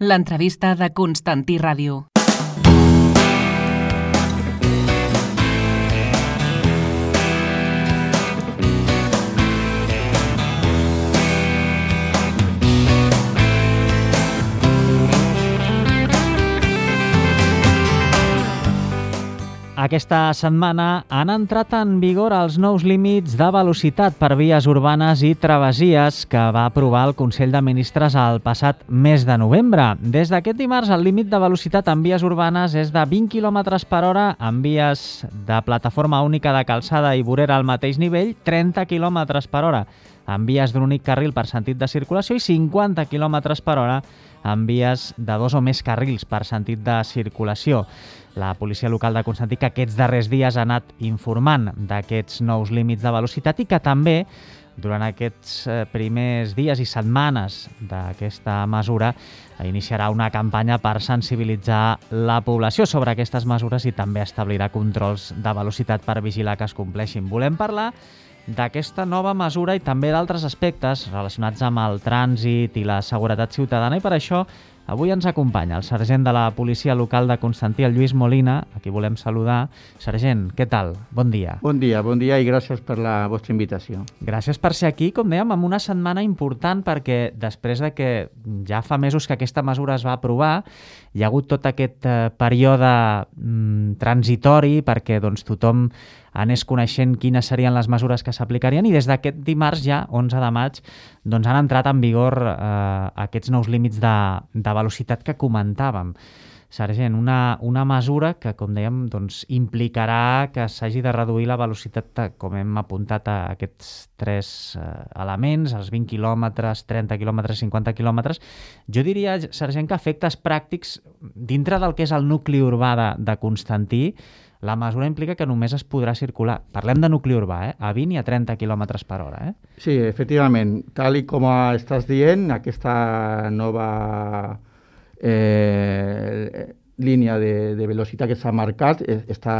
L'entrevista de Constantí Ràdio. Aquesta setmana han entrat en vigor els nous límits de velocitat per vies urbanes i travessies que va aprovar el Consell de Ministres el passat mes de novembre. Des d'aquest dimarts, el límit de velocitat en vies urbanes és de 20 km per hora, en vies de plataforma única de calçada i vorera al mateix nivell, 30 km per hora, en vies d'un únic carril per sentit de circulació i 50 km per hora en vies de dos o més carrils per sentit de circulació. La policia local de Constantí, que aquests darrers dies ha anat informant d'aquests nous límits de velocitat i que també, durant aquests primers dies i setmanes d'aquesta mesura, iniciarà una campanya per sensibilitzar la població sobre aquestes mesures i també establirà controls de velocitat per vigilar que es compleixin. Volem parlar d'aquesta nova mesura i també d'altres aspectes relacionats amb el trànsit i la seguretat ciutadana, i per això avui ens acompanya el sergent de la policia local de Constantí, el Lluís Molina, a qui volem saludar. Sergent, què tal? Bon dia. Bon dia i gràcies per la vostra invitació. Gràcies per ser aquí, com dèiem, en una setmana important, perquè després de que ja fa mesos que aquesta mesura es va aprovar, hi ha hagut tot aquest període transitori perquè tothom anés coneixent quines serien les mesures que s'aplicarien, i des d'aquest dimarts ja, 11 de maig, han entrat en vigor aquests nous límits de velocitat que comentàvem. Sergent, una mesura que, com dèiem, implicarà que s'hagi de reduir la velocitat, com hem apuntat, a aquests tres elements, els 20 quilòmetres, 30 quilòmetres, 50 quilòmetres. Jo diria, sergent, que a efectes pràctics, dintre del que és el nucli urbà de Constantí, la mesura implica que només es podrà circular, parlem de nucli urbà, a 20 i a 30 km per hora. Sí, efectivament. Tal i com estàs dient, aquesta nova línia de velocitat que s'ha marcat està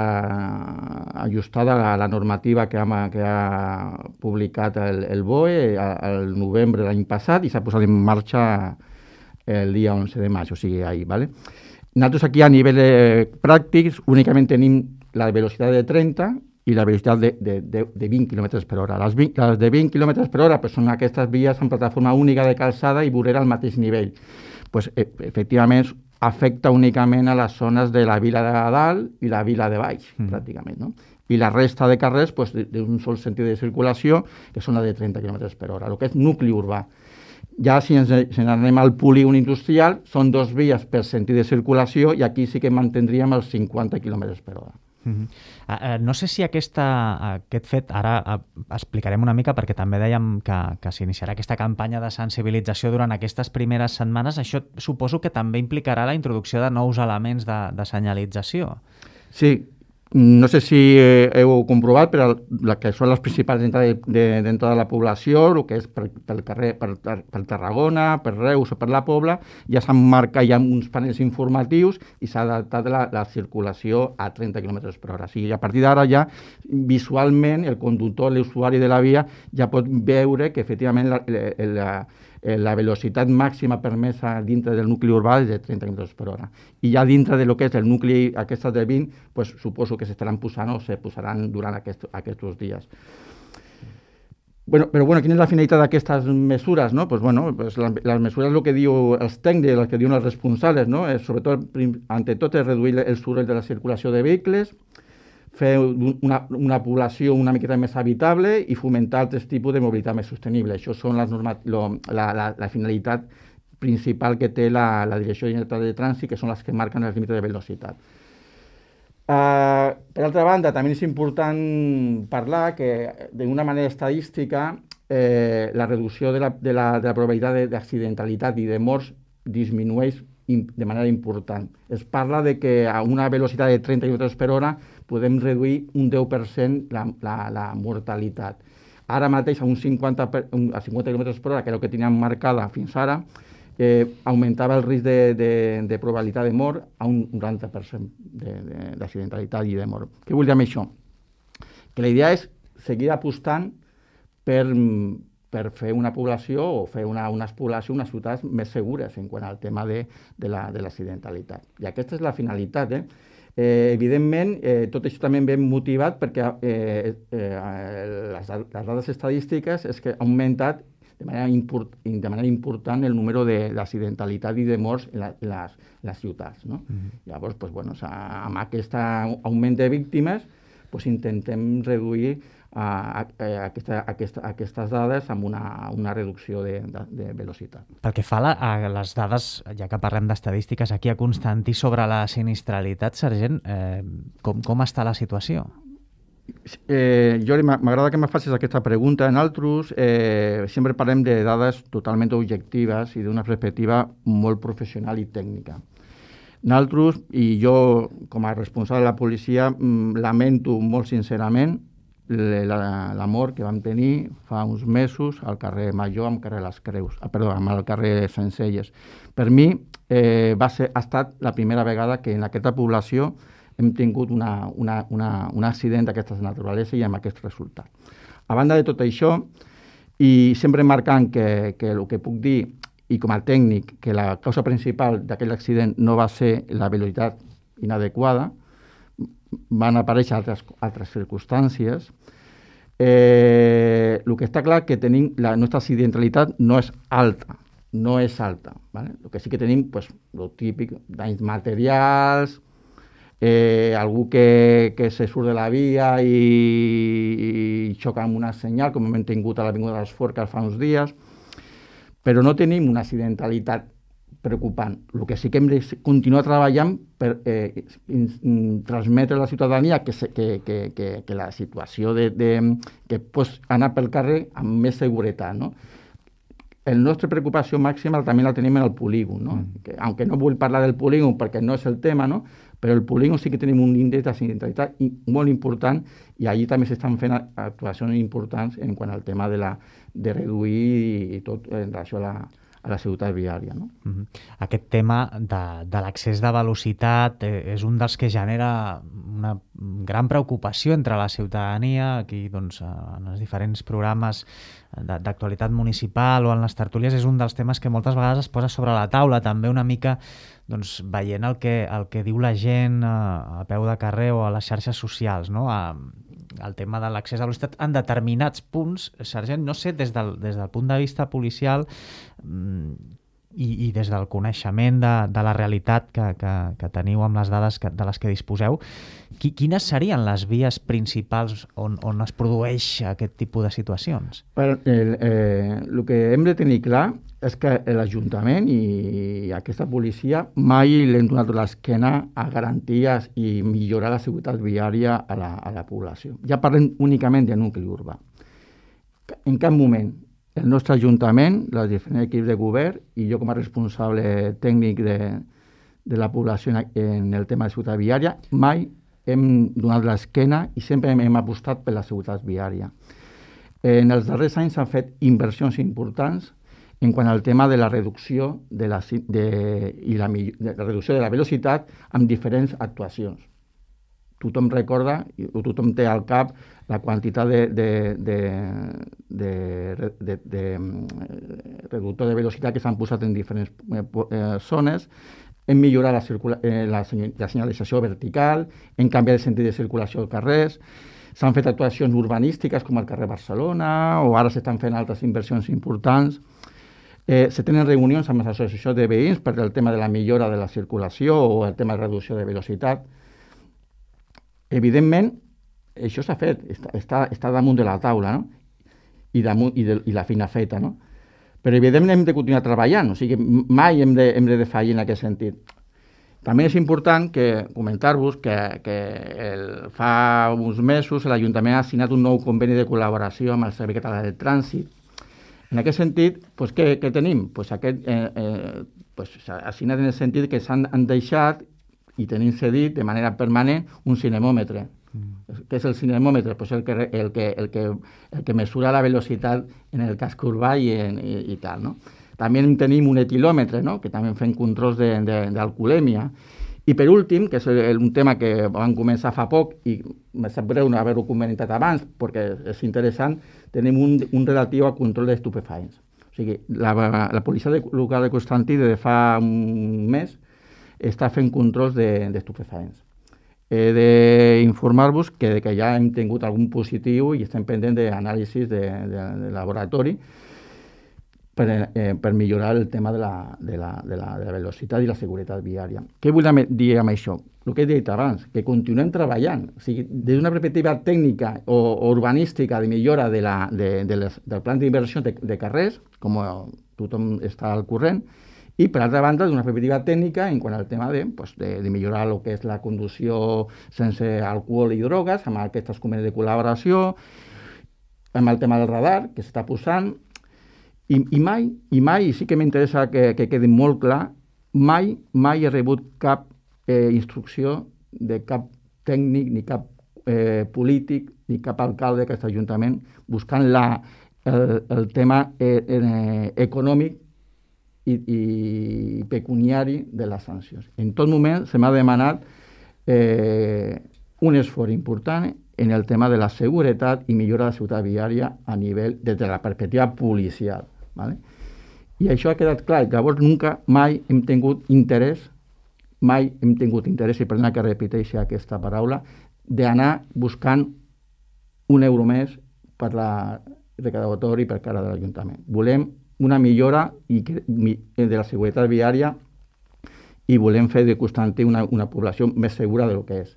ajustada a la normativa que ha publicat el BOE al novembre de l'any passat i s'ha posat en marxa el dia 11 de maig, o sigui, ahir, ¿vale? Nosaltres aquí a nivell pràctic únicament tenim la velocitat de 30 i la velocitat de 20 km per hora. Les de 20 km per hora són aquestes vies en plataforma única de calçada i vorera al mateix nivell. Efectivament, afecta únicament a les zones de la vila de dalt i la vila de baix, pràcticament, no? I la resta de carrers d'un sol sentit de circulació, que són la de 30 km per hora, el que és nucli urbà. Ja si ens anem al polígon industrial, són dos vies per sentit de circulació i aquí sí que mantindríem els 50 km per hora. No sé si aquest fet, ara explicarem una mica perquè també dèiem que s'iniciarà aquesta campanya de sensibilització durant aquestes primeres setmanes. Això suposo que també implicarà la introducció de nous elements de senyalització. Sí. No sé si heu comprovat, però que són les principals d'entrada de la població, el que és pel carrer, per Tarragona, per Reus o per la Pobla, ja s'han marcat uns panells informatius i s'ha adaptat la circulació a 30 km per hora. O sigui, a partir d'ara ja visualment el conductor, l'usuari de la via, ja pot veure que efectivament la velocitat màxima permesa dintre del nucli urbà és de 30 km per hora. I ja dintre del que és el nucli, aquestes de 20, suposo que s'estaran posant o se posaran durant aquests dies. Però quina és la finalitat d'aquestes mesures? No? Les mesures, el que diu els tècnics, el que diuen els responsables, no? Sobretot, ante tot, és reduir el soroll de la circulació de vehicles, fer una població una miqueta més habitable i fomentar altres tipus de mobilitat més sostenible. Això són la finalitat principal que té la Direcció General de Trànsit, que són les que marquen els límits de velocitat. Per altra banda, també és important parlar que d'una manera estadística la reducció de la probabilitat d'accidentalitat i de morts disminueix de manera important. Es parla de que a una velocitat de 30 km per hora podem reduir un 10% la mortalitat. Ara mateix a 50 km per hora, que és el que teníem marcada fins ara, augmentava el risc de probabilitat de mort a un 90% d'accidentalitat i de mort. Què vull dir amb això? Que la idea és seguir apostant per per fer una població o fer unes poblacions, unes ciutats més segures en quant al tema de l'accidentalitat. I aquesta és la finalitat. Evidentment, tot això també ve motivat perquè les dades estadístiques és que ha augmentat de manera important el número d'accidentalitat i de morts en les ciutats. No? Llavors, amb aquest augment de víctimes, intentem reduir aquestes dades amb una reducció de velocitat. Pel que fa a les dades, ja que parlem d'estadístiques, aquí a Constantí sobre la sinistralitat, sergent, com està la situació? Jordi, m'agrada que me facis aquesta pregunta. Nosaltres sempre parlem de dades totalment objectives i d'una perspectiva molt professional i tècnica. Nosaltres, i jo com a responsable de la policia, lamento molt sincerament la mort que vam tenir fa uns mesos al carrer Major amb el carrer Sencelles. Per mi ha estat la primera vegada que en aquesta població hem tingut un accident d'aquesta naturalesa i amb aquest resultat. A banda de tot això, i sempre marcant que el que puc dir, i com a tècnic, que la causa principal d'aquell accident no va ser la velocitat inadequada, van aparèixer altres circumstàncies. El que està clar que tenim, la nostra accidentalitat no és alta. ¿Vale? El que sí que tenim, el típic, danys materials, algú que se surt de la via i xoca amb una senyal, com hem tingut a l'Avinguda de les Forques fa uns dies, però no tenim una accidentalitat preocupant. El que sí que hem de continuar treballant per transmetre a la ciutadania que la situació que pots anar pel carrer amb més seguretat, no? La nostra preocupació màxima també la tenim en el polígon, no? Aunque no vull parlar del polígon perquè no és el tema, no? Però el polígon sí que tenim un índex d'accidentalitat molt important i allí també s'estan fent actuacions importants en quant al tema de reduir i tot en relació a la seguretat viària. No? Aquest tema de l'accés de velocitat és un dels que genera una gran preocupació entre la ciutadania. Aquí, doncs, en els diferents programes d'actualitat municipal o en les tertúlies és un dels temes que moltes vegades es posa sobre la taula, també una mica veient el que diu la gent a peu de carrer o a les xarxes socials, no? El tema de l'accés a la velocitat en determinats punts, sergent, no sé, des del punt de vista policial i des del coneixement de la realitat que teniu amb les dades de les que disposeu, quines serien les vies principals on es produeix aquest tipus de situacions? El que hem de tenir clar és que l'Ajuntament i aquesta policia mai l'hem donat l'esquena a garanties i millorar la seguretat viària a la població. Ja parlem únicament de nucli urbà. En cap moment el nostre Ajuntament, els diferents equips de govern i jo com a responsable tècnic de la població en el tema de seguretat viària, mai hem donat l'esquena i sempre hem apostat per la seguretat viària. En els darrers anys s'han fet inversions importants en quant al tema de la reducció de la reducció de la velocitat amb diferents actuacions. Tothom recorda, o tothom té al cap, la quantitat de reductor de velocitat que s'han posat en diferents zones, hem millorat la senyalització vertical, hem canviat el sentit de circulació als carrers, s'han fet actuacions urbanístiques com al carrer Barcelona, o ara s'estan fent altres inversions importants. Se tenen reunions amb les associacions de veïns per el tema de la millora de la circulació o el tema de reducció de velocitat. Evidentment, això s'ha fet, està damunt de la taula, no? I la feina feta, no? Però evidentment hem de continuar treballant, o sigui, mai hem de defallir en aquest sentit. També és important comentar-vos que fa uns mesos l'Ajuntament ha signat un nou conveni de col·laboració amb el Servei Català del Trànsit. En aquest sentit, què tenim? S'ha signat en el sentit que s'han deixat i tenim cedit de manera permanent un cinemòmetre. Què és el cinemòmetre? El que mesura la velocitat en el casc urbà i tal. No? També tenim un etilòmetre, no? Que també fem controls d'alcoholèmia. I per últim, que és un tema que vam començar fa poc i me sap greu no haver-ho comentat abans perquè és interessant, tenim un relatiu a control d'estupefaents. O sigui, la policia local de Constantí de fa un mes està fent controls d'estupefaents. He d'informar-vos que ja hem tingut algun positiu i estem pendents d'anàlisis de laboratori per millorar el tema de la velocitat i la seguretat viària. Què vull dir amb això? El que he dit abans, que continuem treballant. O sigui, des d'una perspectiva tècnica o urbanística de millora del plan d'inversió de carrers, com tothom està al corrent, i per altra banda, d'una perspectiva tècnica en quant al tema de millorar el que és la conducció sense alcohol i drogues, amb aquestes convenis de col·laboració, amb el tema del radar que s'està posant, i mai, i sí que m'interessa que quedi molt clar, mai he rebut cap instrucció de cap tècnic, ni cap polític, ni cap alcalde d'aquest ajuntament buscant el tema econòmic i pecuniari de les sancions. En tot moment se m'ha demanat un esforç important en el tema de la seguretat i millora de la seguretat viària a nivell des de la perspectiva policial. ¿Vale? I això ha quedat clar. Llavors, mai hem tingut interès, i perdona que repeteixi aquesta paraula, d'anar buscant un euro més per la recaudatori per cara de l'Ajuntament. Volem una millora de la seguretat viària i volem fer de Constantí una població més segura del que és.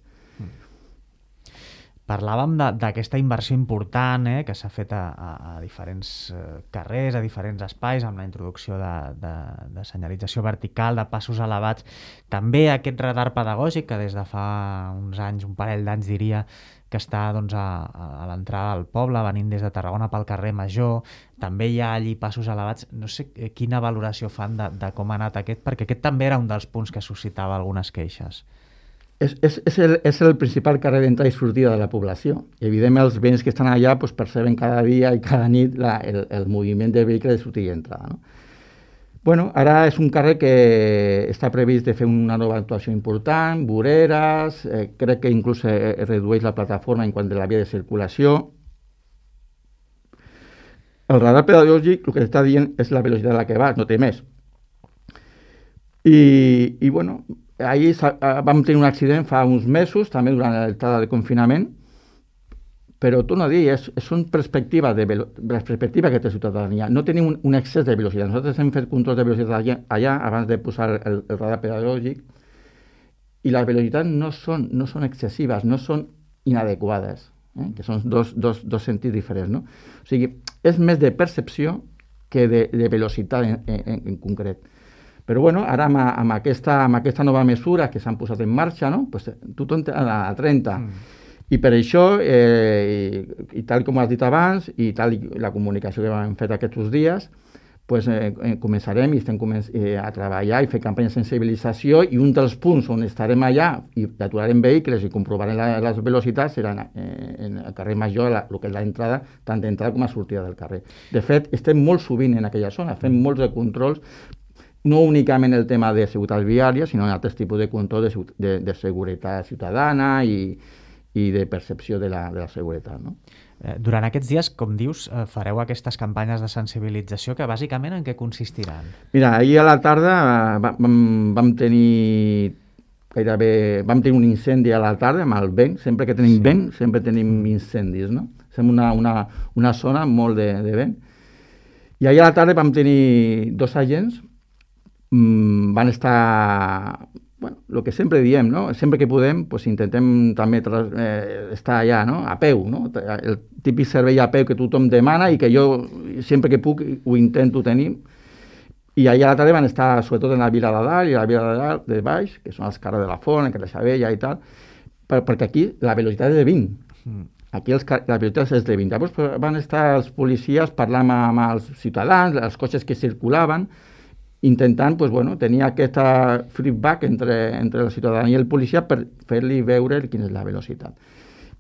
Parlàvem d'aquesta inversió important que s'ha fet a diferents carrers, a diferents espais, amb la introducció de senyalització vertical, de passos elevats. També aquest radar pedagògic que des de fa uns anys, un parell d'anys diria, que està doncs, a l'entrada del poble, venint des de Tarragona pel carrer Major. També hi ha allí passos elevats. No sé quina valoració fan de com ha anat aquest, perquè aquest també era un dels punts que suscitava algunes queixes. És el principal carrer d'entrada i sortida de la població. Evidentment, els veïns que estan allà perceben cada dia i cada nit el moviment de vehicles de sortida i entrada. No? Bueno, ara és un carrer que està previst de fer una nova actuació important, voreres, crec que inclús es redueix la plataforma en quant a la via de circulació. El radar pedagògic el que està dient és la velocitat a la que vas, no té més. I bueno, ahir vam tenir un accident fa uns mesos, també durant l'estada de confinament, però torno a dir, són perspectives de la perspectiva que té la ciutadania. No tenim un excés de velocitat. Nosaltres hem fet controls de velocitat allà abans de posar el radar pedagògic i les velocitats no són excessives, no són inadequades, que són dos sentits diferents. No? O sigui, és més de percepció que de velocitat en concret. Però bueno, ara amb aquesta nova mesura que s'han posat en marxa, no? Pues, tothom a 30. I per això, i tal com has dit abans, i tal la comunicació que hem fet aquests dies, pues, començarem i estem a treballar i fer campanyes de sensibilització, i un dels punts on estarem allà i aturarem vehicles i comprovarem les velocitats serà en el carrer Major, el que és l'entrada, tant d'entrada com a sortida del carrer. De fet, estem molt sovint en aquella zona, fem molts de controls, no únicament el tema de seguretat viària, sinó altres tipus de control de seguretat ciutadana i de percepció de la seguretat. No? Durant aquests dies, com dius, fareu aquestes campanyes de sensibilització que bàsicament en què consistiran? Mira, ahir a la tarda vam tenir un incendi a la tarda amb el vent. Sempre que tenim vent, sempre tenim incendis. No? Som una zona molt de vent. I ahir a la tarda vam tenir 2 agents. Van estar, bueno, el que sempre diem, no? Sempre que podem, pues, intentem també estar allà, no? A peu, no? El típic servei a peu que tothom demana i que jo sempre que puc ho intento tenir. I allà a la tarda van estar sobretot en la Vila de Dalt i la Vila de Dalt de baix, que són els carrers de la Font, el carrer Xavella i tal, perquè aquí la velocitat és de 20. Aquí la velocitat és de 20. Llavors van estar els policies parlant amb els ciutadans, els cotxes que circulaven, intentant tenir aquest feedback entre la ciutadania i el policia per fer-li veure quina és la velocitat.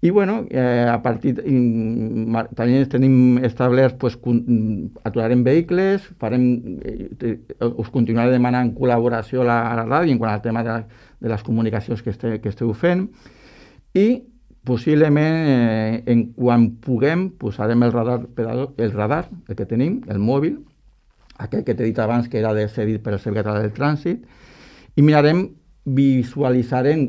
I bueno, a partir també tenim establert, pues, aturarem vehicles, us continuaré demanant col·laboració a la ràdio en quant al tema de les comunicacions que esteu fent, i possiblement quan puguem posarem el radar, el que tenim, el mòbil, aquell que t'he dit abans que era cedit per el Servei Català del Trànsit, i visualitzarem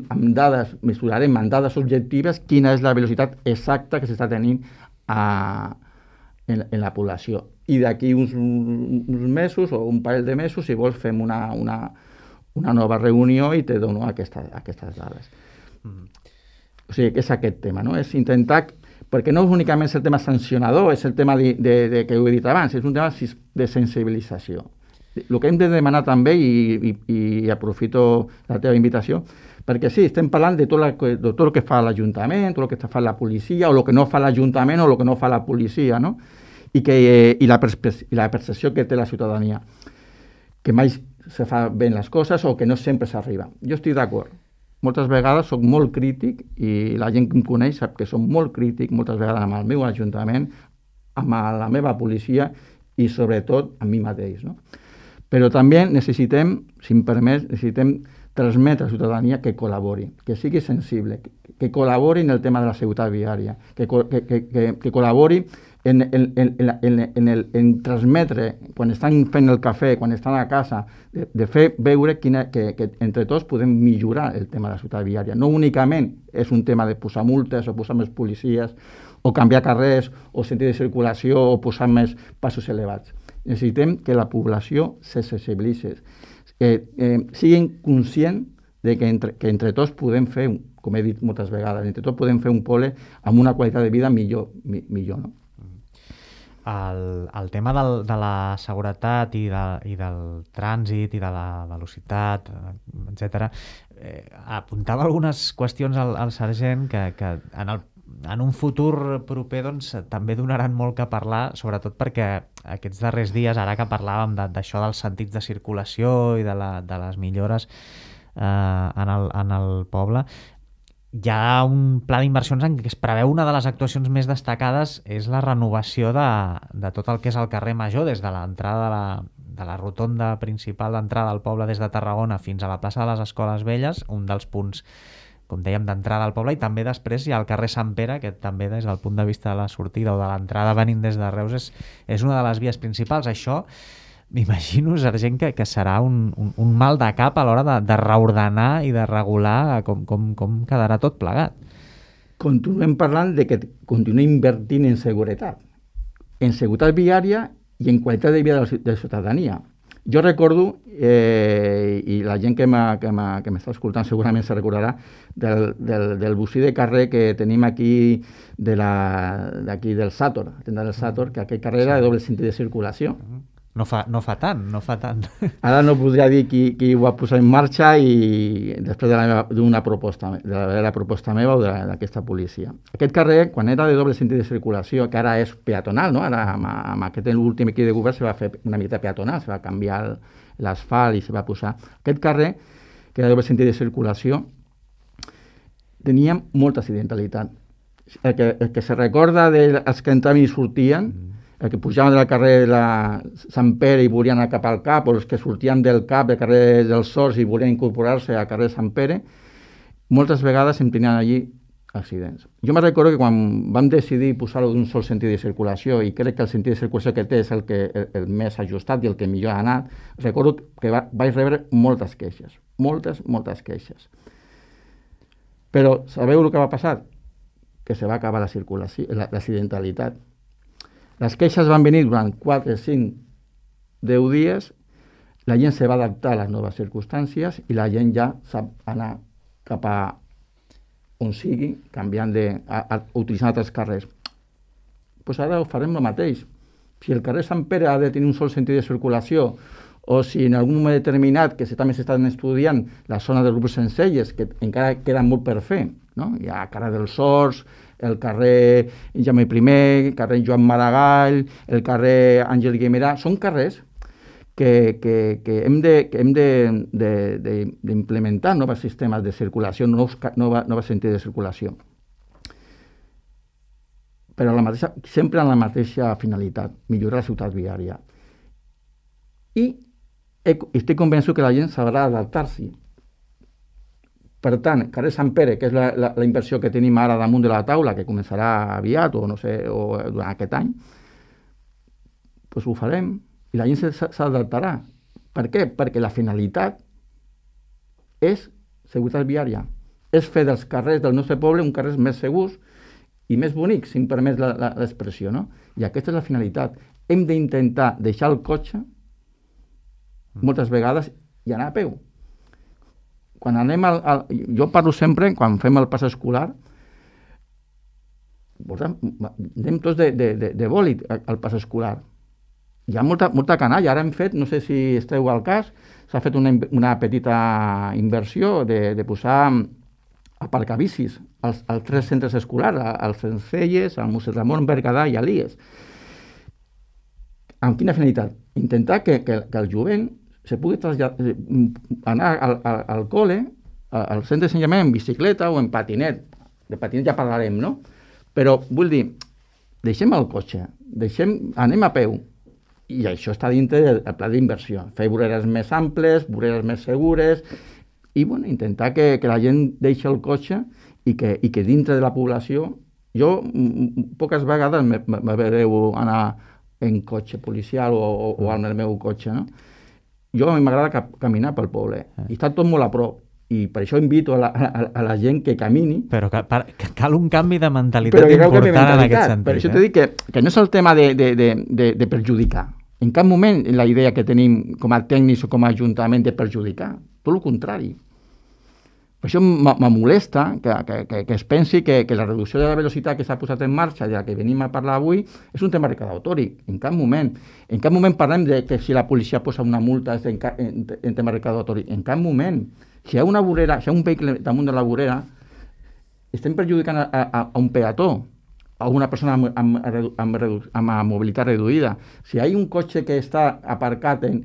mesurarem amb dades objectives quina és la velocitat exacta que s'està tenint en la població. I d'aquí uns mesos o un parell de mesos, si vols, fem una nova reunió i te dono aquestes dades. O sigui, és aquest tema, no? És intentar, perquè no és únicament el tema sancionador, és el tema que ho he dit abans, és un tema de sensibilització. El que hem de demanar també, i aprofito la teva invitació, perquè sí, estem parlant de tot el que fa l'Ajuntament, tot el que fa la policia, o el que no fa l'Ajuntament o el que no fa la policia, no? I la percepció que té la ciutadania, que mai se fa bé les coses o que no sempre s'arriba. Jo estic d'acord. Moltes vegades soc molt crític, i la gent que em coneix sap que soc molt crític moltes vegades amb el meu Ajuntament, amb la meva policia i sobretot amb mi mateix, no? Però també necessitem, si em permets, transmetre a la ciutadania que col·labori, que sigui sensible, que col·labori en el tema de la seguretat viària, que col·labori en transmetre, quan estan fent el cafè, quan estan a casa, de fer veure que entre tots podem millorar el tema de la seguretat viària. No únicament és un tema de posar multes o posar més policies o canviar carrers o sentit de circulació o posar més passos elevats. Necessitem que la població se sensibilitzi, siguin conscients de que entre tots podem fer, com he dit moltes vegades, entre tots podem fer un poble amb una qualitat de vida millor, no? El tema de la seguretat i del trànsit i de la velocitat, etc. Apuntava algunes qüestions al sergent que en un futur proper doncs, també donaran molt que parlar, sobretot perquè aquests darrers dies, ara que parlàvem d'això dels sentits de circulació i de les millores en el poble, hi ha un pla d'inversions en què es preveu una de les actuacions més destacades és la renovació de tot el que és el carrer Major, des de l'entrada de la rotonda principal d'entrada al poble des de Tarragona fins a la plaça de les Escoles Velles, un dels punts, com dèiem, d'entrada al poble, i també després hi ha el carrer Sant Pere, que també des del punt de vista de la sortida o de l'entrada venint des de Reus és una de les vies principals. Això m'imagino, sergent, que serà un mal de cap a l'hora de reordenar i de regular com quedarà tot plegat. Continuem parlant de que continuem invertint en seguretat viària i en qualitat de vida de la ciutadania. Jo recordo, i la gent que m'està escoltant segurament se recordarà, del bocí de carrer que tenim aquí d'aquí del Sàtor, que aquest carrer era de doble sentit de circulació. No fa tant. Ara no podria dir qui ho va posar en marxa i després d'una proposta, de la proposta meva o d'aquesta policia. Aquest carrer, quan era de doble sentit de circulació, que ara és peatonal, no? Ara amb aquest últim equip de govern se va fer una mica peatonal, se va canviar l'asfalt i se va posar. Aquest carrer, que era de doble sentit de circulació, tenia molta accidentalitat. El que se recorda dels que entraven i sortien, el que pujaven del carrer de Sant Pere i volien anar cap al Cap, o els que sortien del Cap, del carrer dels Sorts i volien incorporar-se al carrer Sant Pere, moltes vegades em tenien allí accidents. Jo me recordo que quan vam decidir posar-ho d'un sol sentit de circulació, i crec que el sentit de circulació que té és el més ajustat i el que millor ha anat, recordo que vaig rebre moltes queixes, moltes queixes. Però sabeu el que va passar? Que se va acabar l'accidentalitat. Les queixes van venir durant 4, 5, 10 dies, la gent se va adaptar a les noves circumstàncies i la gent ja sap anar cap a on sigui, canviant utilitzant altres carrers. Doncs ara ho farem el mateix. Si el carrer Sant Pere ha de tenir un sol sentit de circulació, o si en algun moment determinat, que també s'estan estudiant la zona del grup Sencelles, que encara queda molt per fer, no? Hi ha carrer dels Sorts, el carrer Jaume I, el carrer Joan Maragall, el carrer Àngel Guimerà, són carrers que hem d'implementar nous sistemes de circulació, nous sentits de circulació. però sempre amb la mateixa finalitat, millorar la ciutat viària. I estic convençut que la gent sabrà adaptar-s'hi. Per tant, carrer Sant Pere, que és la inversió que tenim ara damunt de la taula, que començarà aviat o no sé, o durant aquest any, doncs ho farem i la gent s'adaptarà. Per què? Perquè la finalitat és seguretat viària. És fer dels carrers del nostre poble uns carrers més segurs i més bonics, si em permet l'expressió, no? I aquesta és la finalitat. Hem d'intentar deixar el cotxe moltes vegades i anar a peu. Quan anem jo parlo sempre, quan fem el pas escolar, anem tots de bòlit al pas escolar. Hi ha molta canalla. Ara hem fet, no sé si esteu al cas, s'ha fet una petita inversió de posar aparcabicis als 3 centres escolars, als Sencelles, al Mossèn Ramon, Berguedà i Elies. Amb quina finalitat? Intentar que el jovent se pugui anar al col·le, al centre d'ensenyament, en bicicleta o en patinet. De patinet ja parlarem, no? Però vull dir, deixem el cotxe, anem a peu. I això està dintre del pla d'inversió. Fer voreres més amples, voreres més segures i intentar que la gent deixi el cotxe i que dintre de la població... Jo poques vegades me veureu anar en cotxe policial o amb el meu cotxe, no? Jo a mi m'agrada caminar pel poble i està tot molt a prop. I per això invito a la gent que camini. Però cal un canvi de mentalitat important en aquest sentit. Per això t'he dit que no és el tema de perjudicar. En cap moment la idea que tenim com a tècnics o com a ajuntament de perjudicar. Tot el contrari. Per això me molesta que es pensi que la reducció de la velocitat que s'ha posat en marxa, de la que venim a parlar avui, és un tema recaudatori. En cap moment. En cap moment parlem de que si la policia posa una multa és en tema recaudatori. En cap moment. Si hi ha una vorera, si hi ha un vehicle damunt de la vorera, estem perjudicant a un peató, a una persona amb mobilitat reduïda. Si hi ha un cotxe que està aparcat en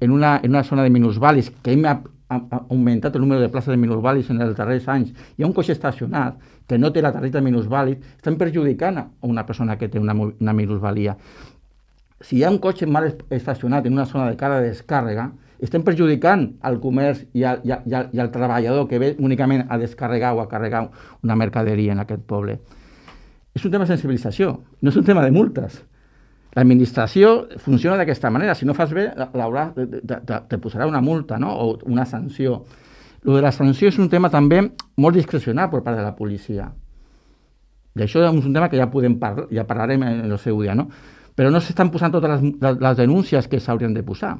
una zona de minusvàlids, que hem augmentat el número de places de minusvàlids en els darrers anys, hi ha un cotxe estacionat que no té la targeta minusvàlid, estem perjudicant a una persona que té una minusvàlia. Si hi ha un cotxe mal estacionat en una zona de cara de descàrrega, estem perjudicant al comerç i al treballador que ve únicament a descarregar o a carregar una mercaderia en aquest poble. És un tema de sensibilització, no és un tema de multes. L'administració funciona d'aquesta manera. Si no fas bé, te posarà una multa, no? O una sanció. Lo de la sanció és un tema també molt discrecional per part de la policia. D'això és un tema que ja parlarem en el seu dia, no? Però no s'estan posant totes les denúncies que s'haurien de posar.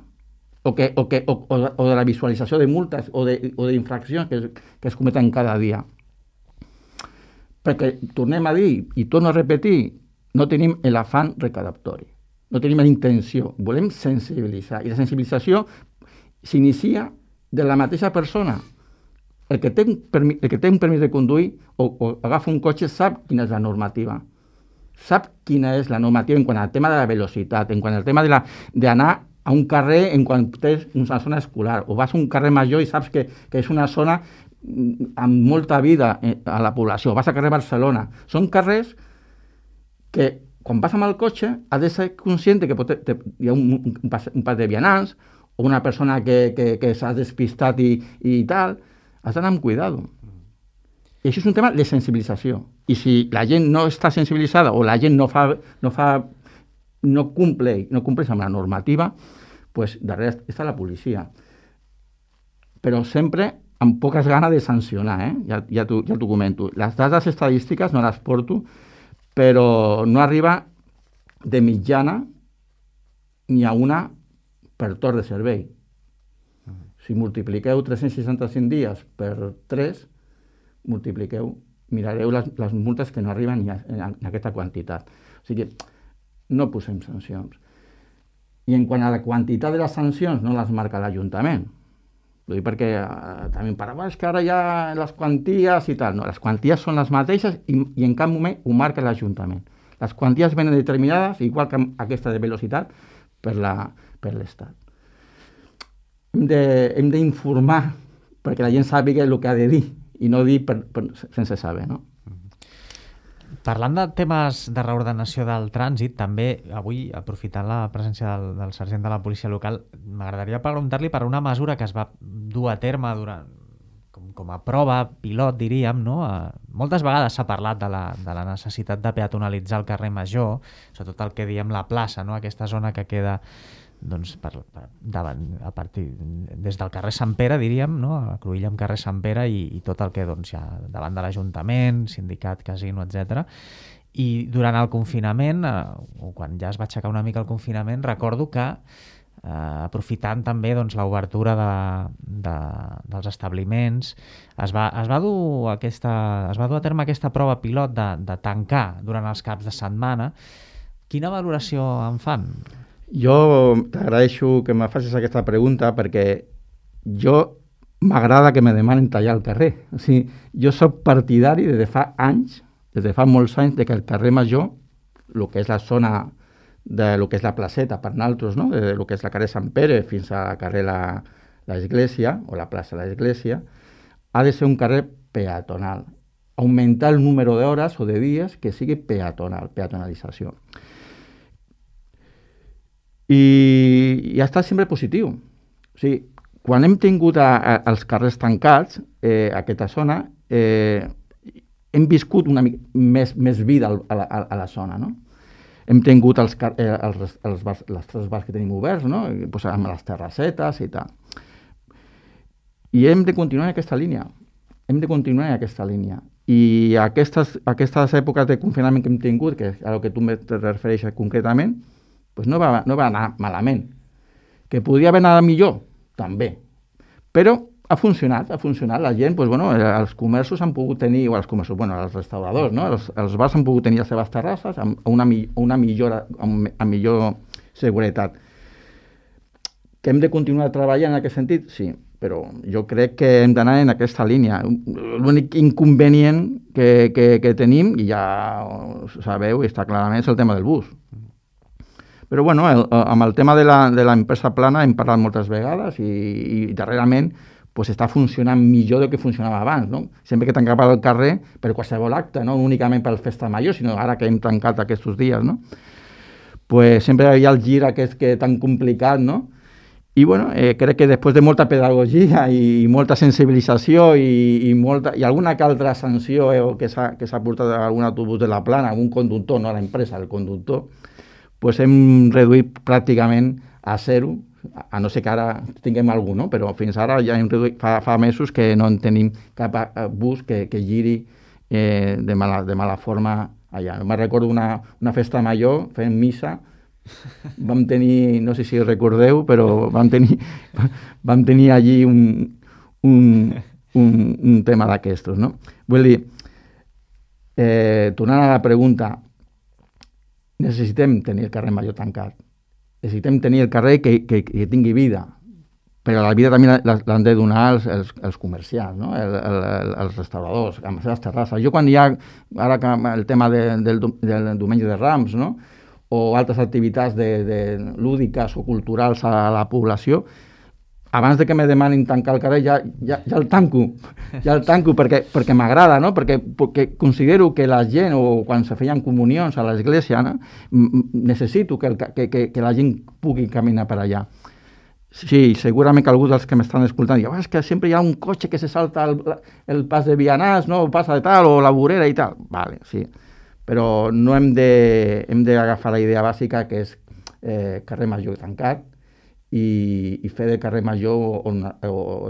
O de la visualització de multes o d'infraccions que es cometen cada dia. Perquè, tornem a dir, i torno a repetir, no tenim l'afany recaptatori, no tenim la intenció, volem sensibilitzar. I la sensibilització s'inicia de la mateixa persona. El que té un permís de conduir o agafa un cotxe sap quina és la normativa. Sap quina és la normativa en quant al tema de la velocitat, en quant al tema d'anar a un carrer en quan tens una zona escolar, o vas a un carrer major i saps que és una zona amb molta vida a la població, vas a carrer Barcelona. Són carrers que quan vas amb el cotxe has de ser conscient que hi ha un pas de vianants o una persona que s'ha despistat i tal, has d'anar amb cuidado. I això és un tema de sensibilització. I si la gent no està sensibilitzada o la gent no compleix amb la normativa, pues darrere està la policia. Però sempre amb poques ganes de sancionar, ja t'ho comento. Les dades estadístiques no les porto, però no arriba de mitjana ni a una per torn de servei. Si multipliqueu 365 dies per 3, mirareu les multes que no arriben ni a aquesta quantitat. O sigui, no posem sancions. I en quant a la quantitat de les sancions, no les marca l'Ajuntament. Ho dic perquè també em parla, és que ara hi ha les quanties i tal. No, les quanties són les mateixes i en cap moment ho marca l'Ajuntament. Les quanties venen determinades, igual que aquesta de velocitat, per l'Estat. Hem d'informar perquè la gent sàpiga el que ha de dir i no dir sense saber, no? Parlant de temes de reordenació del trànsit, també avui, aprofitant la presència del sergent de la policia local, m'agradaria preguntar-li per una mesura que es va dur a terme com a prova pilot, diríem, no? Moltes vegades s'ha parlat de la necessitat de peatonalitzar el carrer Major, sobretot el que diem la plaça, no? Aquesta zona que queda doncs, des del carrer Sant Pere, diríem, no? A Cruïlla amb carrer Sant Pere i tot el que doncs, hi ha davant de l'Ajuntament, sindicat, casino, etc. I durant el confinament, o quan ja es va aixecar una mica el confinament, recordo que aprofitant també doncs, l'obertura dels establiments, es va dur a terme aquesta prova pilot de tancar durant els caps de setmana. Quina valoració en fan? Jo t'agraeixo que me facis aquesta pregunta perquè m'agrada que me demanen tallar el carrer. O sigui, jo soc partidari des de fa molts anys, de que el carrer Major, el que és la zona de lo que és la placeta per nosaltres, no? De lo que és la carrer Sant Pere fins a carrer l'Església, o la plaça de l'Església, ha de ser un carrer peatonal. Augmentar el número d'hores o de dies que sigui peatonalització. I ha estat sempre positiu. O sigui, quan hem tingut els carrers tancats, aquesta zona, hem viscut una mica més vida a la zona, no? Hem tingut les tres bars que tenim oberts, no? Pues amb les terrassetes i tal. I hem de continuar en aquesta línia. I aquestes èpoques de confinament que hem tingut, que és a lo que tu te refereixes concretament, pues no va anar malament. Que podria haver anat millor, també. Però ha funcionat. La gent, pues, els comerços han pogut tenir, o els restauradors, no? Els bars han pogut tenir les seves terrasses amb millor seguretat. Que hem de continuar treballant en aquest sentit? Sí, però jo crec que hem d'anar en aquesta línia. L'únic inconvenient que tenim, i ja ho sabeu, està clarament, és el tema del bus. Però amb el tema de l'empresa plana hem parlat moltes vegades i darrerament pues està funcionant millor del que funcionava abans, no? Sempre que tancava el carrer per qualsevol acte, no únicament per festa major, sinó ara que hem tancat aquests dies, no? Pues sempre hi ha el gir aquest que tan complicat, no? I crec que després de molta pedagogia i molta sensibilització i alguna que altra sanció que s'ha portat a algun autobús de la plana, algun conductor, no a l'empresa, el conductor, pues hem reduït pràcticament a zero, a no ser que ara tinguem algú, no? Però fins ara ja hem reduït, fa mesos que no en tenim cap bus que giri de mala forma allà. Me'n recordo una festa major fent missa, vam tenir, no sé si recordeu, però vam tenir allí un tema d'aquestos, no? Vull dir, tornant a la pregunta, necessitem tenir el carrer Major tancat. Necessitem tenir el carrer que tingui vida, però la vida també l'han de donar els comerciants, no? Els restauradors, amb les seves terrasses. Jo quan hi ha, ara que el tema del diumenge de Rams, no? O altres activitats lúdiques o culturals a la població, abans de que me demanin tancar el carrer ja el tanco perquè m'agrada, no? Perquè considero que la gent, o quan se feien comunions a l'església, no? Necessito que la gent pugui caminar per allà. Sí, segurament que algú dels que m'estan escoltant diu, és que sempre hi ha un cotxe que se salta el pas de vianants, no? Passa de tal, o la vorera i tal. Vale, sí. Però no hem d'agafar la idea bàsica que és carrer Major tancat, i fer del carrer Major o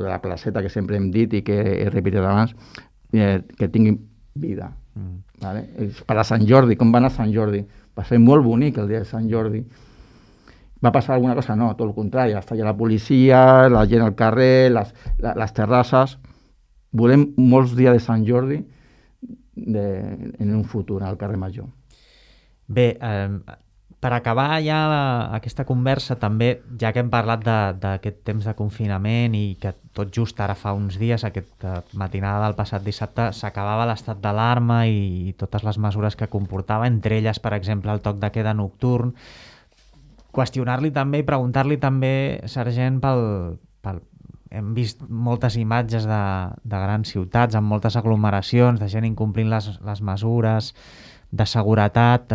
de la placeta que sempre hem dit i que he repetit abans, que tingui vida. Vale? Per a Sant Jordi, com va anar Sant Jordi? Va ser molt bonic el dia de Sant Jordi. Va passar alguna cosa? No, tot el contrari. Està allà la policia, la gent al carrer, les terrasses. Volem molts dies de Sant Jordi en un futur al carrer Major. Bé, per acabar ja aquesta conversa també, ja que hem parlat d'aquest temps de confinament i que tot just ara fa uns dies, aquesta matinada del passat dissabte, s'acabava l'estat d'alarma i totes les mesures que comportava, entre elles, per exemple, el toc de queda nocturn. Qüestionar-li també i preguntar-li també, sergent, hem vist moltes imatges de grans ciutats amb moltes aglomeracions, de gent incomplint les mesures. de seguretat,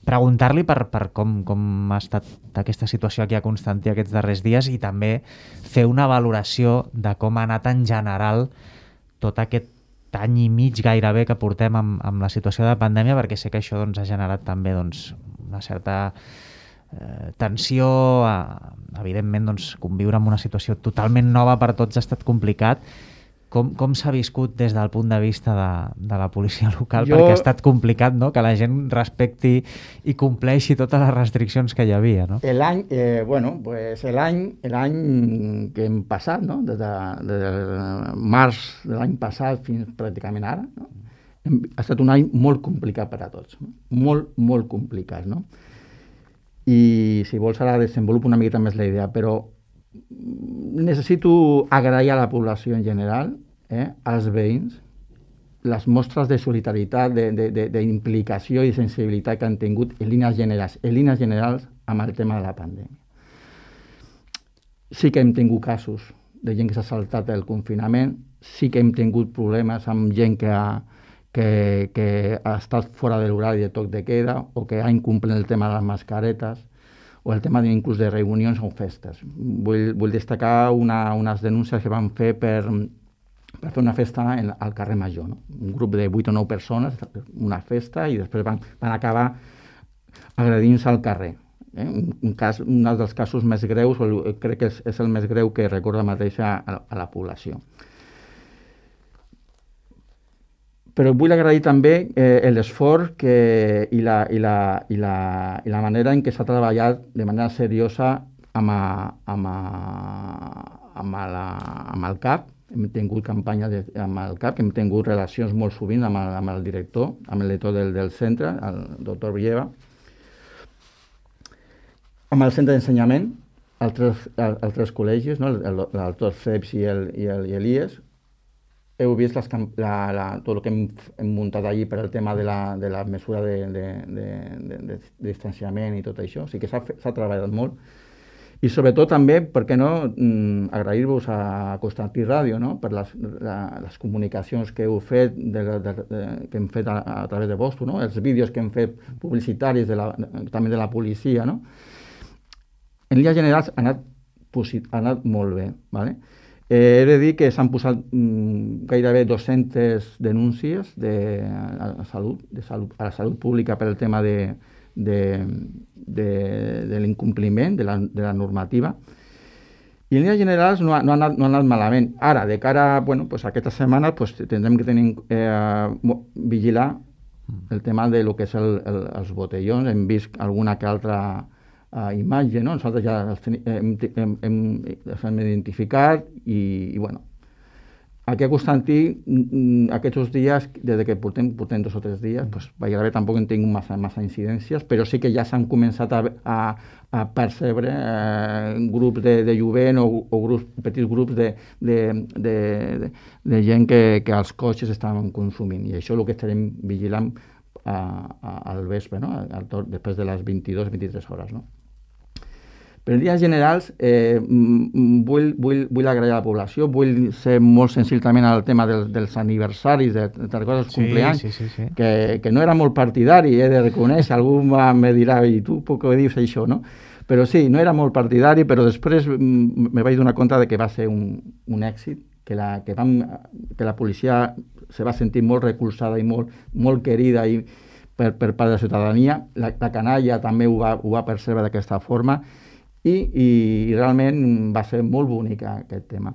preguntar-li per com ha estat aquesta situació aquí a Constantí aquests darrers dies i també fer una valoració de com ha anat en general tot aquest any i mig gairebé que portem amb la situació de pandèmia, perquè sé que això doncs, ha generat també doncs, una certa tensió, evidentment doncs, conviure amb una situació totalment nova per tots ha estat complicat. Com s'ha viscut des del punt de vista de la policia local? Perquè ha estat complicat, no?, que la gent respecti i compleixi totes les restriccions que hi havia, no? L'any que hem passat, no?, des de març de l'any passat fins pràcticament ara, no?, ha estat un any molt complicat per a tots, no? Molt complicat, no? I si vols ara desenvolupo una miqueta més la idea, però necessito agrair a la població en general, als veïns, les mostres de solidaritat, d'implicació i sensibilitat que han tingut en línies generals amb el tema de la pandèmia. Sí que hem tingut casos de gent que s'ha saltat el confinament, sí que hem tingut problemes amb gent que ha estat fora de l'horari de toc de queda o que ha incomplert el tema de les mascaretes o el tema inclús de reunions o festes. Vull destacar unes denúncies que van fer per fer una festa al carrer Major, no? Un grup de 8 o 9 persones, una festa, i després van acabar agredint-se al carrer. Un dels casos més greus, crec que és el més greu que recorda mateix a la població. Però vull agrair també l'esforç i la manera en què s'ha treballat de manera seriosa amb el CAP. Hem tingut campanya amb el CAP, hem tingut relacions molt sovint amb el director del centre, el doctor Villeva, amb el centre d'ensenyament, els tres col·legis, no? el doctor CEPS i l'IES. Heu vist tot el que hem muntat allí per al tema de la mesura de distanciament i tot això. O sigui que s'ha treballat molt. I sobretot també, per què no, agrair-vos a Constantí Ràdio, no?, per les comunicacions que heu fet, que hem fet a través de vostre, no?, els vídeos que hem fet publicitaris també de la policia, no? En línies generals ha anat molt bé, ¿vale? He de dir que s'han posat gairebé 200 denúncies a la salut pública per el tema de l'incompliment de la normativa. I en línies generals no ha anat malament. Ara, de cara a aquesta setmana, tindrem que vigilar el tema de lo que és els botellons. Hem vist alguna que altra imatge, no? Nosaltres ja els hem identificat i aquí a Constantí, aquests dies, des que portem 2 o 3 dies, gairebé tampoc hem tingut massa incidències, però sí que ja s'han començat a percebre grups de jovent o petits grups de gent que els cotxes estaven consumint. I això és el que estarem vigilant al vespre, no? Després de les 22-23 hores, no? Però en línies generals vull agrair a la població, vull ser molt sensible també al tema dels aniversaris, de coses compleanys, que no era molt partidari, he de reconèixer, algú me dirà, i tu per què dius això, no? Però sí, no era molt partidari, però després me vaig donar compte de que va ser un èxit, que la policia se va sentir molt recolzada i molt querida per part de la ciutadania, la canalla també ho va percebre d'aquesta forma, i realment va ser molt bonic aquest tema.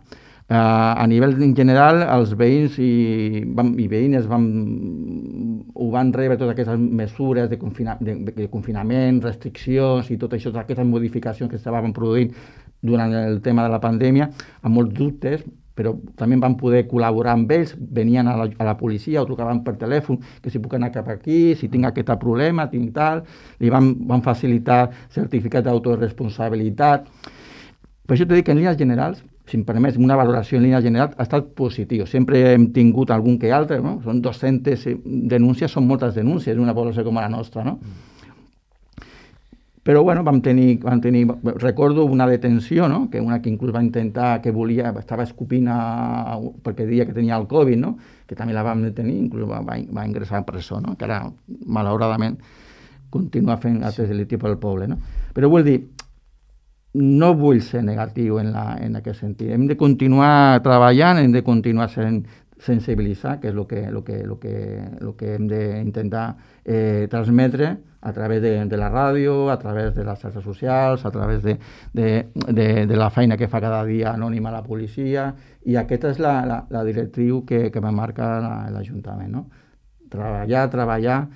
A nivell en general, els veïns i veïnes ho van rebre totes aquestes mesures de confinament, restriccions i tot això, totes aquestes modificacions que estaven produint durant el tema de la pandèmia, amb molts dubtes, però també van poder col·laborar amb ells, venien a la policia o trucaven per telèfon, que si puc anar cap aquí, si tinc aquest problema, tinc tal, li van facilitar certificat d'autoresponsabilitat. Per això t'he dit que en línies generals, si em permets, una valoració en línies generals ha estat positiu. Sempre hem tingut algun que altre, no? Són 200 denúncies, són moltes denúncies d'una població com la nostra, no? Però bueno, vam tenir, recordo una detenció, no? Que una que inclús va intentar, que volia, estava escopint perquè deia que tenia el Covid, no? Que també la vam detenir, inclús va ingressar a presó, no? Que ara, malauradament, continua fent actes delictius pel poble, no? Però vull dir, no vull ser negatiu en aquest sentit. Hem de continuar treballant, hem de continuar sensibilitzar, que és el que hem d'intentar transmetre a través de la ràdio, a través de les xarxes socials, a través de la feina que fa cada dia anònima la policia, i aquesta és la directriu que me marca l'Ajuntament, no? Treballar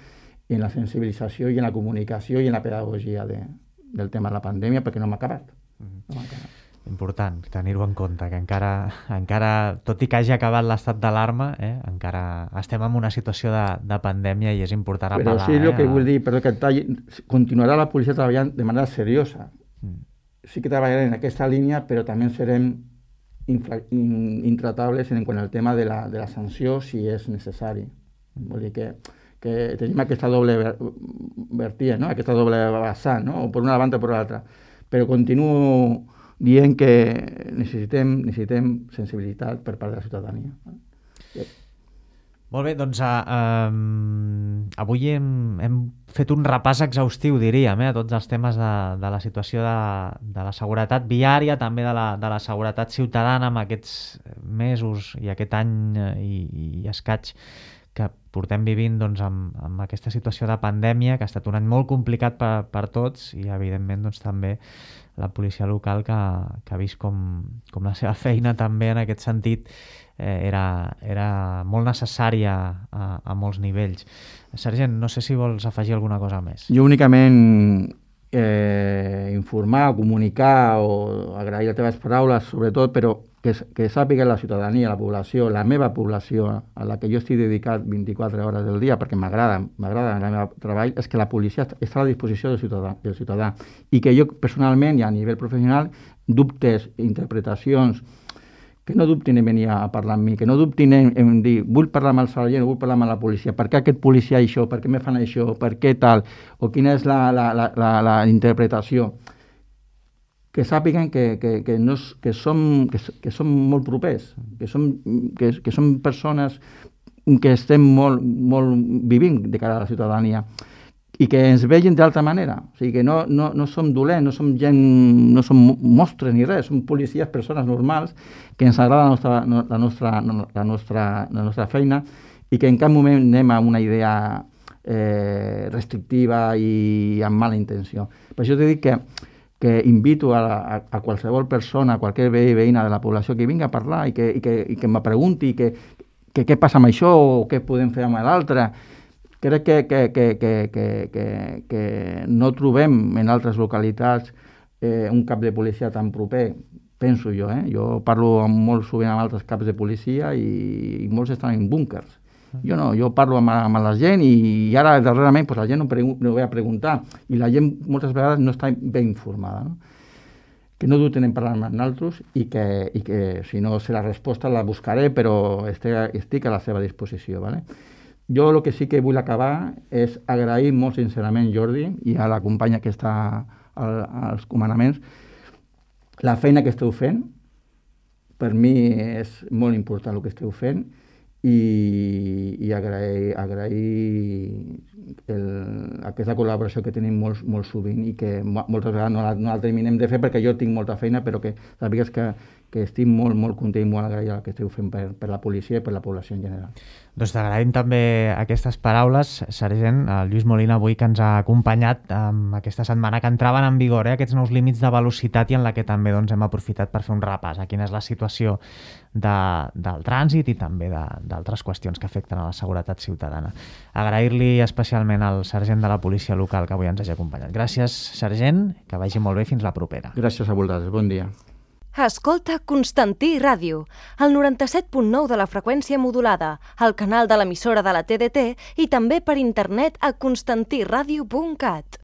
en la sensibilització i en la comunicació i en la pedagogia del tema de la pandèmia, perquè no m'ha acabat. Important tenir-ho en compte, que encara, tot i que hagi acabat l'estat d'alarma, encara estem en una situació de pandèmia i és important apel·lar. Però sí, el que vull dir, que continuarà la policia treballant de manera seriosa. Sí que treballarem en aquesta línia, però també serem intratables en quant al tema de la sanció si és necessari. Vol dir que tenim aquesta doble vertiente, no? Aquesta doble vessant, no? O per una banda o per l'altra. Però continuo dient que necessitem sensibilitat per part de la ciutadania. Molt bé, doncs avui hem fet un repàs exhaustiu, diríem, a tots els temes de la situació de la seguretat viària, també de la seguretat ciutadana amb aquests mesos i aquest any i escaig que portem vivint doncs, amb aquesta situació de pandèmia, que ha estat un any molt complicat per tots i, evidentment, doncs, també la policia local que ha vist com la seva feina també en aquest sentit era molt necessària a molts nivells. Sergent, no sé si vols afegir alguna cosa més. Jo únicament informar, comunicar o agrair les teves paraules, sobretot, però que sàpiga la ciutadania, la població, la meva població, a la que jo estic dedicat 24 hores del dia, perquè m'agrada el meu treball, és que la policia està a la disposició del ciutadà. I que jo personalment i a nivell professional, dubtes, interpretacions, que no dubtin en venir a parlar amb mi, que no dubtin en dir vull parlar amb el sergent o vull parlar amb la policia, per què aquest policia això, per què me fan això, per què tal, o quina és la interpretació. Que sàpiguen que som molt propers, que som persones que estem molt vivint de cara a la ciutadania i que ens vegin d'altra manera. O sigui, que no som dolents, no som gent, no som monstres ni res, som policies, persones normals, que ens agrada la nostra feina i que en cap moment anem a una idea restrictiva i amb mala intenció. Per això t'he dit que invito a qualsevol persona, a qualsevol veí i veïna de la població que vingui a parlar i que me pregunti què passa amb això o què podem fer amb l'altre. Crec que no trobem en altres localitats un cap de policia tan proper, penso jo. Jo parlo molt sovint amb altres caps de policia i molts estan en búnkers. Jo no, jo parlo amb la gent i ara darrerament la gent no ve a preguntar i la gent moltes vegades no està ben informada. No? Que no dubten en parlar amb nosaltres i que si no sé la resposta la buscaré, però estic a la seva disposició. Vale? Jo el que sí que vull acabar és agrair molt sincerament, Jordi, i a la companya que està als comandaments, la feina que esteu fent. Per mi és molt important el que esteu fent i agrair aquesta col·laboració que tenim molt sovint i que moltes vegades no la terminem de fer perquè jo tinc molta feina, però que sàpigues que estic molt content i molt agraït el que esteu fent per la policia i per la població en general. Doncs t'agraïm també aquestes paraules, sergent. El Lluís Molina avui que ens ha acompanyat aquesta setmana que entraven en vigor aquests nous límits de velocitat i en la que també hem aprofitat per fer un repàs a quina és la situació del trànsit i també d'altres qüestions que afecten a la seguretat ciutadana. Agrair-li especialment al sergent de la policia local que avui ens hagi acompanyat. Gràcies, sergent, que vagi molt bé, fins la propera. Gràcies a vosaltres, bon dia. Escolta Constantí Ràdio, el 97.9 de la freqüència modulada, el canal de l'emissora de la TDT i també per internet a constantiradio.cat.